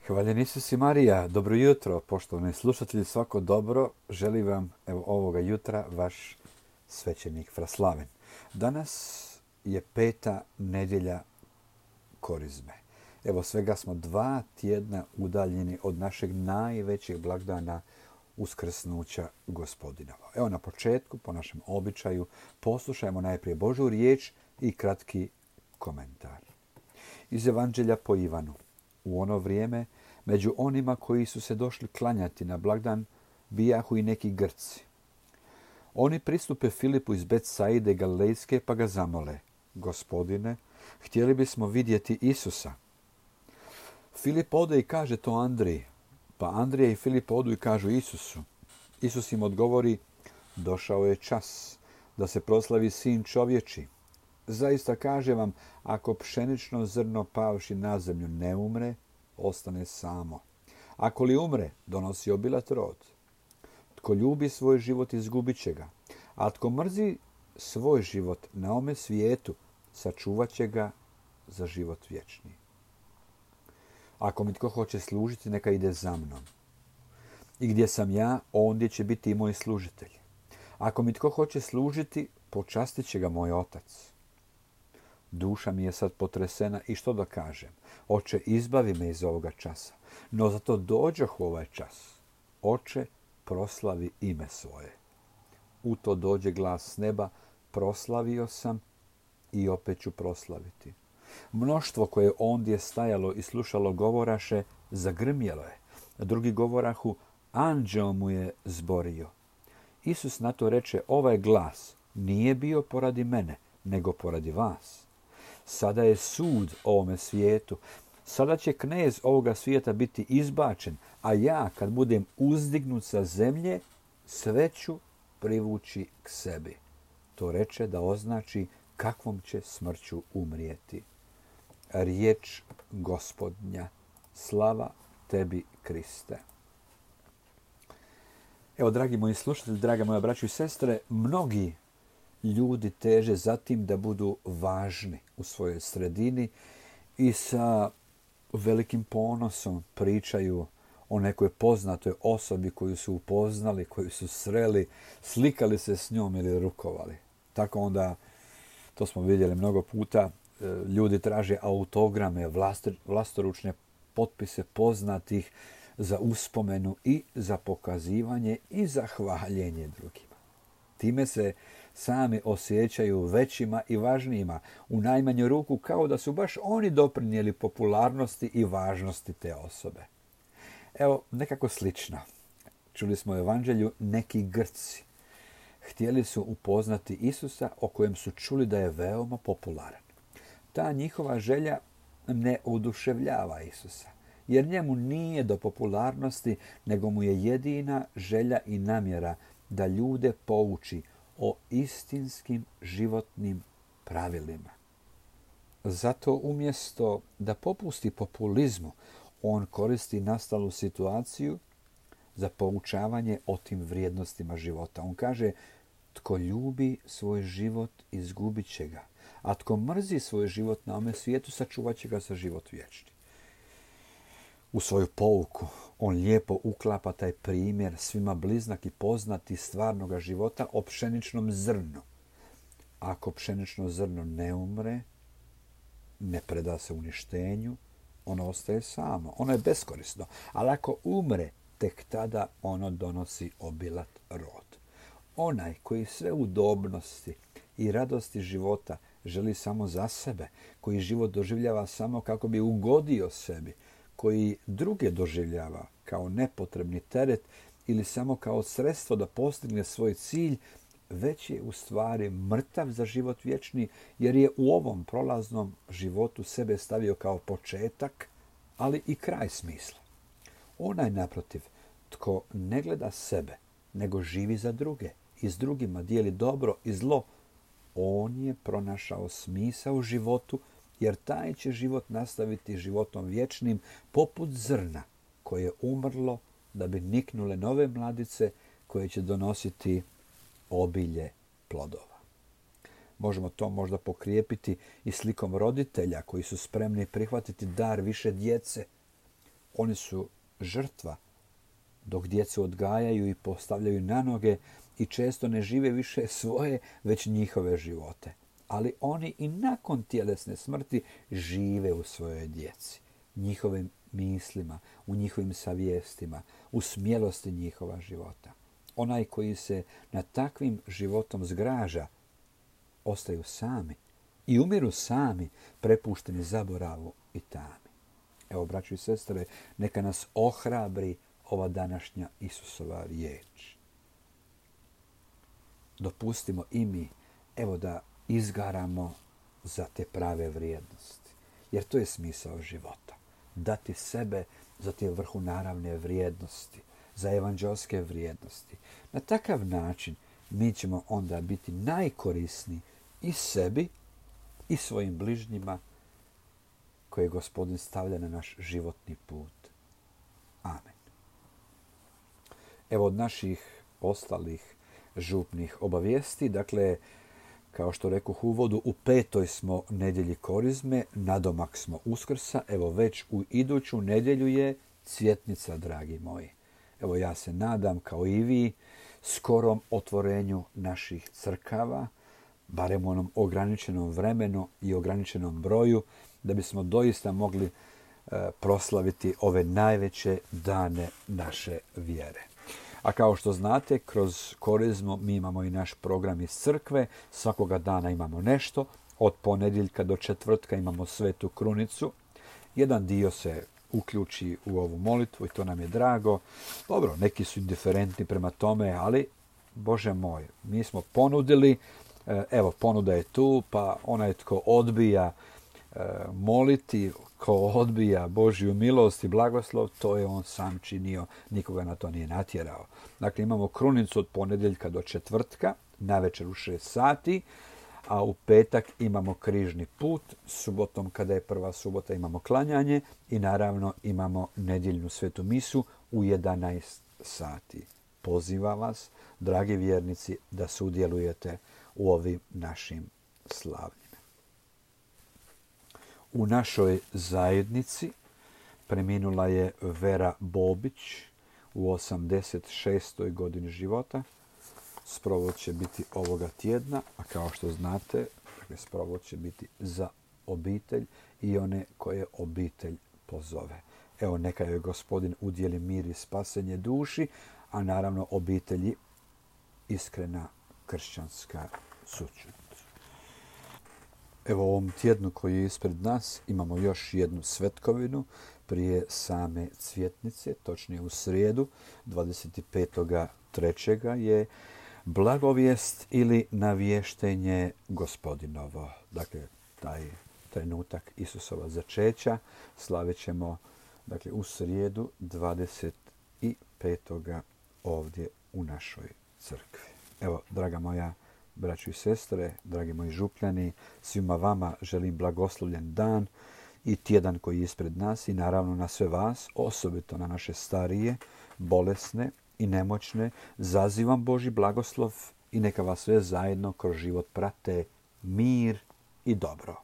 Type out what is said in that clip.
Hvaljen Isus i Marija, dobro jutro, poštovani slušatelji, svako dobro, želim vam ovoga jutra vaš svećenik Fraslaven. Danas je 5. nedjelja Korizme. Svega smo 2 tjedna udaljeni od našeg najvećeg blagdana uskrsnuća Gospodinova. Na početku, po našem običaju, poslušajmo najprije Božju riječ i kratki komentar. Iz Evanđelja po Ivanu. U ono vrijeme, među onima koji su se došli klanjati na blagdan, bijahu i neki Grci. Oni pristupe Filipu iz Betsaide Galilejske pa ga zamole: Gospodine, htjeli bismo vidjeti Isusa. Filip ode i kaže to Andriji, pa Andrija i Filip odu i kažu Isusu. Isus im odgovori: došao je čas da se proslavi Sin čovječi. Zaista kažem vam, ako pšenično zrno pavši na zemlju ne umre, ostane samo. Ako li umre, donosi obilat rod. Tko ljubi svoj život, izgubit će ga. A tko mrzi svoj život na ovome svijetu, sačuvat će ga za život vječni. Ako mi tko hoće služiti, neka ide za mnom. I gdje sam ja, ondje će biti i moj služitelj. Ako mi tko hoće služiti, počastit će ga moj otac. Duša mi je sad potresena i što da kažem? Oče, izbavi me iz ovoga časa. No zato dođoh u ovaj čas. Oče, proslavi ime svoje. U to dođe glas s neba: proslavio sam i opet ću proslaviti. Mnoštvo koje ondje stajalo i slušalo govoraše, zagrmjelo je. Drugi govorahu, anđeo mu je zborio. Isus na to reče: ovaj glas nije bio poradi mene, nego poradi vas. Sada je sud ovome svijetu. Sada će knez ovoga svijeta biti izbačen, a ja, kad budem uzdignut sa zemlje, sve ću privući k sebi. To reče da označi kakvom će smrću umrijeti. Riječ Gospodnja. Slava tebi, Kriste. Dragi moji slušatelji, draga moja braćo i sestre, mnogi ljudi teže za tim da budu važni u svojoj sredini i sa velikim ponosom pričaju o nekoj poznatoj osobi koju su upoznali, koju su sreli, slikali se s njom ili rukovali. Tako onda, to smo vidjeli mnogo puta, ljudi traže autograme, vlastoručne potpise poznatih za uspomenu i za pokazivanje i za hvaljenje drugima. Time se sami osjećaju većima i važnijima, u najmanju ruku kao da su baš oni doprinijeli popularnosti i važnosti te osobe. Nekako slično. Čuli smo u Evanđelju, neki Grci htjeli su upoznati Isusa, o kojem su čuli da je veoma popularan. Ta njihova želja ne oduševljava Isusa, jer njemu nije do popularnosti, nego mu je jedina želja i namjera da ljude pouči o istinskim životnim pravilima. Zato umjesto da popusti populizmu, on koristi nastalu situaciju za poučavanje o tim vrijednostima života. On kaže: tko ljubi svoj život, izgubit će ga. A tko mrzi svoj život na ovome svijetu, sačuvat će ga za život vječni. U svoju pouku on lijepo uklapa taj primjer svima bliznak i poznati stvarnoga života o pšeničnom zrnu. Ako pšenično zrno ne umre, ne preda se uništenju, ono ostaje samo. Ono je beskorisno. Ali ako umre, tek tada ono donosi obilat rod. Onaj koji sve udobnosti i radosti života želi samo za sebe, koji život doživljava samo kako bi ugodio sebi, koji druge doživljava kao nepotrebni teret ili samo kao sredstvo da postigne svoj cilj, već je u stvari mrtav za život vječni, jer je u ovom prolaznom životu sebe stavio kao početak, ali i kraj smisla. Onaj, naprotiv, tko ne gleda sebe, nego živi za druge i s drugima dijeli dobro i zlo, on je pronašao smisao u životu, jer taj će život nastaviti životom vječnim, poput zrna koje je umrlo da bi niknule nove mladice koje će donositi obilje plodova. Možemo to možda pokrijepiti i slikom roditelja koji su spremni prihvatiti dar više djece, Oni su žrtva, dok djecu odgajaju i postavljaju na noge i često ne žive više svoje, već njihove živote. Ali oni i nakon tjelesne smrti žive u svojoj djeci, njihovim mislima, u njihovim savjestima, u smjelosti njihova života. Onaj koji se nad takvim životom zgraža, ostaju sami i umiru sami, prepušteni zaboravu i tami. Evo, braćo i sestre, neka nas ohrabri ova današnja Isusova riječ. Dopustimo i mi, evo, da izgaramo za te prave vrijednosti. Jer to je smisao života. Dati sebe za te vrhunaravne vrijednosti, za evanđelske vrijednosti. Na takav način mi ćemo onda biti najkorisniji i sebi i svojim bližnjima koje Gospodin stavlja na naš životni put. Amen. Evo od naših ostalih župnih obavijesti, dakle, kao što rekoh u uvodu, u 5. smo nedjelji Korizme, nadomak smo Uskrsa, evo već u iduću nedjelju je Cvjetnica, dragi moji. Evo ja se nadam, kao i vi, skorom otvorenju naših crkava, barem u onom ograničenom vremenu i ograničenom broju, da bismo doista mogli proslaviti ove najveće dane naše vjere. A kao što znate, kroz Korizmu mi imamo i naš program iz crkve. Svakoga dana imamo nešto. Od ponedjeljka do četvrtka imamo Svetu Krunicu. Jedan dio se uključi u ovu molitvu i to nam je drago. Dobro, neki su indiferentni prema tome, ali, Bože moj, mi smo ponudili, evo, ponuda je tu, pa onaj tko odbija moliti, ko odbija Božju milost i blagoslov, to je on sam činio, nikoga na to nije natjerao. Dakle, imamo krunicu od ponedjeljka do četvrtka, navečer u 6 sati, a u petak imamo križni put, subotom kada je prva subota imamo klanjanje i naravno imamo nedjeljnu svetu misu u 11 sati. Pozivam vas, dragi vjernici, da sudjelujete u ovim našim slavljima. U našoj zajednici preminula je Vera Bobić u 86. godini života. Sprovod će biti ovoga tjedna, a kao što znate, sprovod će biti za obitelj i one koje obitelj pozove. Evo, neka joj Gospodin udjeli mir i spasenje duši, a naravno obitelji iskrena kršćanska sućut. Evo, u ovom tjednu koji je ispred nas imamo još jednu svetkovinu prije same Cvjetnice, točnije u srijedu 25.3. je blagovijest ili navještenje Gospodinovo. Dakle, taj trenutak Isusova začeća slavit ćemo, dakle, u srijedu 25. ovdje u našoj crkvi. Evo, draga moja braćo i sestre, dragi moji župljani, svima vama želim blagoslovljen dan i tjedan koji je ispred nas i naravno na sve vas, osobito na naše starije, bolesne i nemoćne, zazivam Božji blagoslov i neka vas sve zajedno kroz život prate mir i dobro.